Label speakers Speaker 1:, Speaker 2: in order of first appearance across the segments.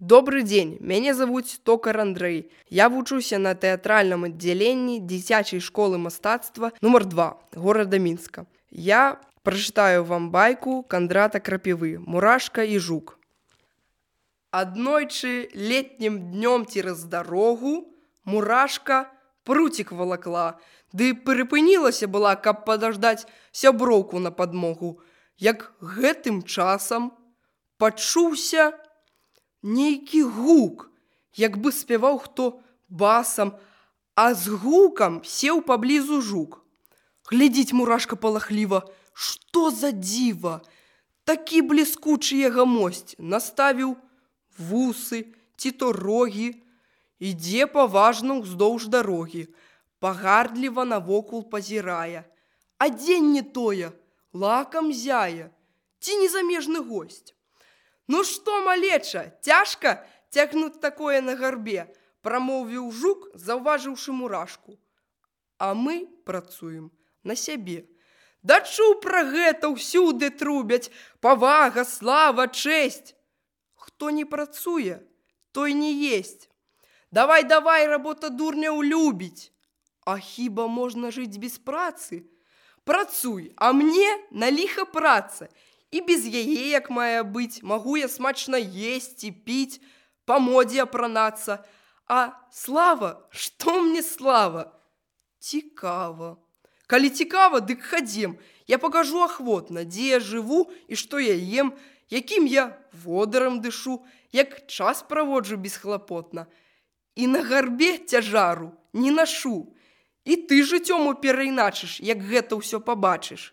Speaker 1: Добрый дзень, мяне завуць Токар Андрэй. Я вучуся на тэатральным аддзяленні дзіцячай школы мастацтва нумар 2 горада Мінска. Я прачытаю вам байку Кандрата Крапівы «Мурашка і жук». Аднойчы летнім днём цераз дарогу мурашка пруцік валакла, ды прыпынілася была, каб падаждаць сяброўку на падмогу. Як гэтым часам пачуўся нейкі гук, як бы спяваў хто басам, а з гукам сеў паблізу жук. Глядзіць мурашка палахліва, што за дзіва! Такі бліскучы яго мосць, наставіў вусы ці то рогі, ідзе паважна ўздоўж дарогі, пагардліва навокул пазірае. Адзенне тое, лакам зяе, ці незамежны госць. «Ну што, малеча, цяжка цягнуць такое на гарбе», прамовіў жук, заўважыўшы мурашку. «А мы працуем на сябе. Да чуў пра гэта ўсюды трубяць, павага, слава, чэсць. Хто не працуе, той не есць. Давай, работа дурняў любіць. А хіба можна жыць без працы? Працуй, а мне на ліха праца. І без яе, як мае быць, магу я смачна есці, піць, па модзе апранацца. А слава, што мне слава? Цікава. Калі цікава, дык хадзем. Я пакажу ахвотна, дзе я жыву і што я ем, якім я водарам дышу, як час праводжу бесхлапотна. І на гарбе цяжару не нашу. І ты жыццём перайначыш, як гэта ўсё пабачыш.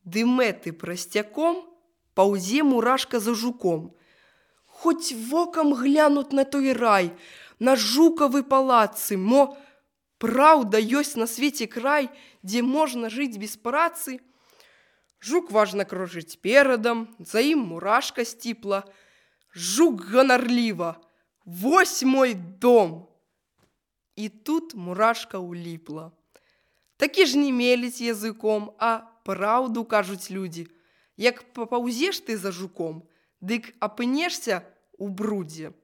Speaker 1: Ды мэты прасцяком паўзе мурашка за жуком. Хоць вокам глянуць на той рай, на жукавы палацы, мо праўда ёсць на свеце край, дзе можна жыць без працы. Жук важна кружыць перадам, за ім мурашка сціпла. Жук ганарліва: «Вось мой дом!» І тут мурашка ўліпла. Такі ж не меліць языком, а праўду кажуць людзі. Як папаўзеш ты за жуком, дык апынешся ў брудзе.